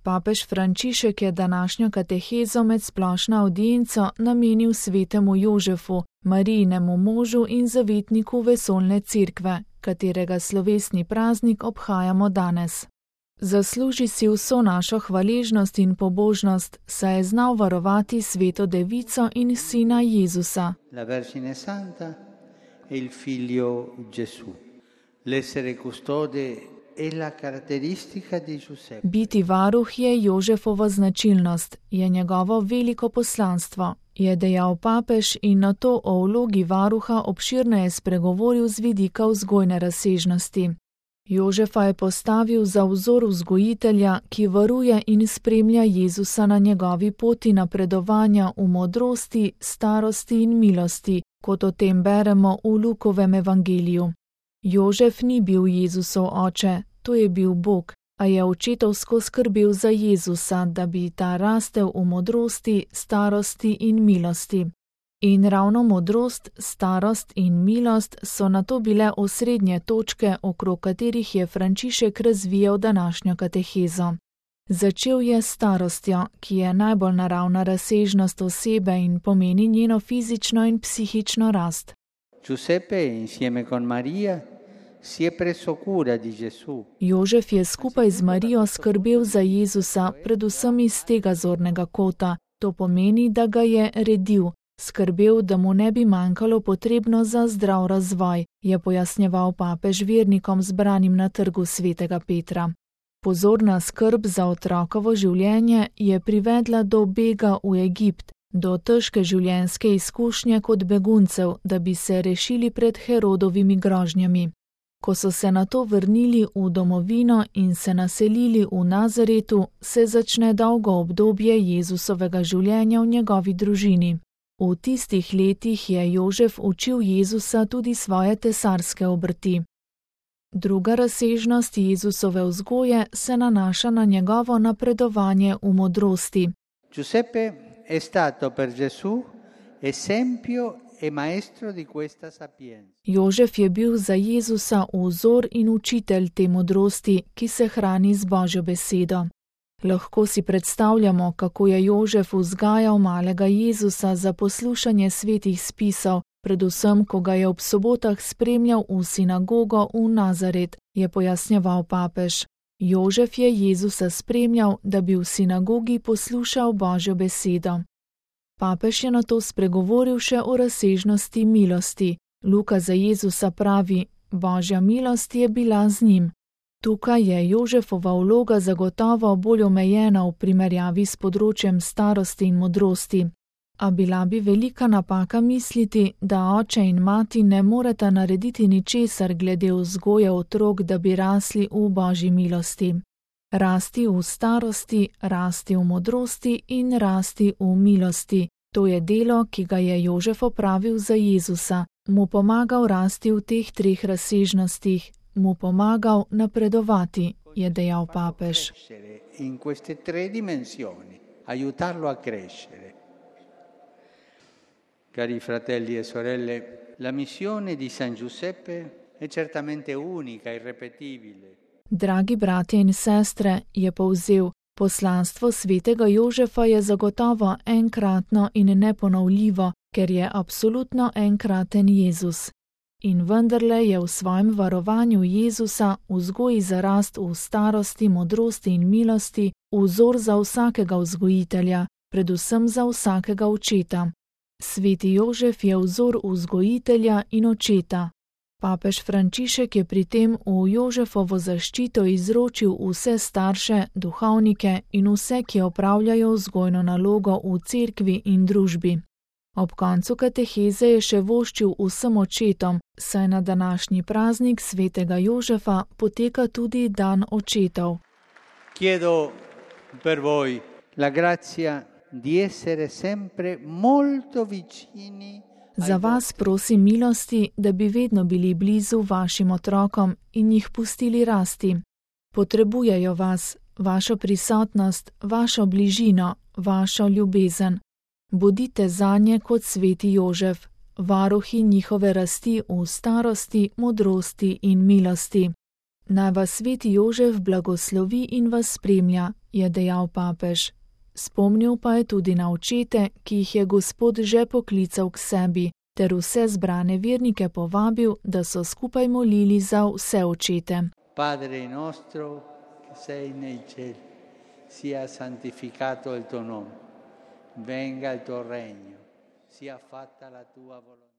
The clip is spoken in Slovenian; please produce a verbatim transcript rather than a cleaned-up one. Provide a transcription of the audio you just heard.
Papež Frančišek je današnjo katehezo med splošno avdienco namenil svetemu Jožefu, Marijinemu možu in zavetniku vesoljne cerkve, katerega slovesni praznik obhajamo danes. Zasluži si vso našo hvaležnost in pobožnost, saj je znal varovati sveto devico in sina Jezusa. La Vergine Santa e il figlio Gesù. L'essere custode è la caratteristica di Giuseppe. Biti varuh je Jožefova značilnost, je njegovo veliko poslanstvo, je dejal papež in na to o vlogi varuha obširneje spregovoril z vidika vzgojne razsežnosti. Jožefa je postavil za vzor vzgojitelja, ki varuje in spremlja Jezusa na njegovi poti napredovanja v modrosti, starosti in milosti, kot o tem beremo v Lukovem evangeliju. Jožef ni bil Jezusov oče, to je bil Bog, a je očetovsko skrbel za Jezusa, da bi ta rastel v modrosti, starosti in milosti. In ravno modrost, starost in milost so nato bile osrednje točke, okrog katerih je Frančišek razvijal današnjo katehezo. Začel je s starostjo, ki je najbolj naravna razsežnost osebe in pomeni njeno fizično in psihično rast. Giuseppe insieme con Maria si è preso cura di Gesù. Jožef je skupaj z Marijo skrbel za Jezusa, predvsem iz tega zornega kota. To pomeni, da ga je redil, skrbel, da mu ne bi manjkalo potrebno za zdrav razvoj, je pojasnjeval papež vernikom zbranim na trgu svetega Petra. Pozorna skrb za otrokovo življenje je privedla do bega v Egipt, do težke življenjske izkušnje kot beguncev, da bi se rešili pred Herodovimi grožnjami. Ko so se nato vrnili v domovino in se naselili v Nazaretu, se začne dolgo obdobje Jezusovega življenja v njegovi družini. V tistih letih je Jožef učil Jezusa tudi svoje tesarske obrti. Druga razsežnost Jezusove vzgoje se nanaša na njegovo napredovanje v modrosti. Giuseppe è stato per Gesù esempio e maestro di questa sapienza. Jožef je bil za Jezusa vzor in učitelj te modrosti, ki se hrani z Božjo besedo. Lahko si predstavljamo, kako je Jožef vzgajal malega Jezusa za poslušanje svetih spisov, predvsem, ko ga je ob sobotah spremljal v sinagogo v Nazaret, je pojasnjeval papež. Jožef je Jezusa spremljal, da bi v sinagogi poslušal Božjo besedo. Papež je nato spregovoril še o razsežnosti milosti. Luka za Jezusa pravi: Božja milost je bila z njim. Tukaj je Jožefova vloga zagotovo bolj omejena v primerjavi s področjem starosti in modrosti. A bila bi velika napaka misliti, da oče in mati ne moreta narediti ničesar glede vzgoje otrok, da bi rasli v Božji milosti. Rasti v starosti, rasti v modrosti in rasti v milosti. To je delo, ki ga je Jožef opravil za Jezusa, mu pomagal rasti v teh treh razsežnostih, mu pomagal napredovati, je dejal papež. In queste tre dimensioni, aiutarlo a crescere. Cari fratelli e sorelle, la missione di San Giuseppe è certamente unica, irrepetibile. Dragi bratje in sestre, je povzel, poslanstvo svetega Jožefa je zagotovo enkratno in neponovljivo, ker je absolutno enkraten Jezus. In vendarle je v svojem varovanju Jezusa, vzgoji za rast v starosti, modrosti in milosti, vzor za vsakega vzgojitelja, predvsem za vsakega očeta. Sveti Jožef je vzor vzgojitelja in očeta. Papež Frančišek je pri tem v Jožefovo zaščito izročil vse starše, duhovnike in vse, ki opravljajo vzgojno nalogo v cerkvi in družbi. Ob koncu kateheze je še voščil vsem očetom, saj na današnji praznik svetega Jožefa poteka tudi dan očetov. Chiedo per voi la grazia di essere sempre molto vicini. Za vas prosim milosti, da bi vedno bili blizu vašim otrokom in jih pustili rasti. Potrebujejo vas, vašo prisotnost, vašo bližino, vašo ljubezen. Bodite zanje kot sveti Jožef, varuhi njihove rasti v starosti, modrosti in milosti. Naj vas sveti Jožef blagoslovi in vas spremlja, je dejal papež. Spomnil pa je tudi na očete, ki jih je Gospod že poklical k sebi, ter vse zbrane vernike povabil, da so skupaj molili za vse očete. Padre nostro, che sei nei cieli, sia santificato il tuo nome, venga il tuo regno, sia fatta la tua volontà.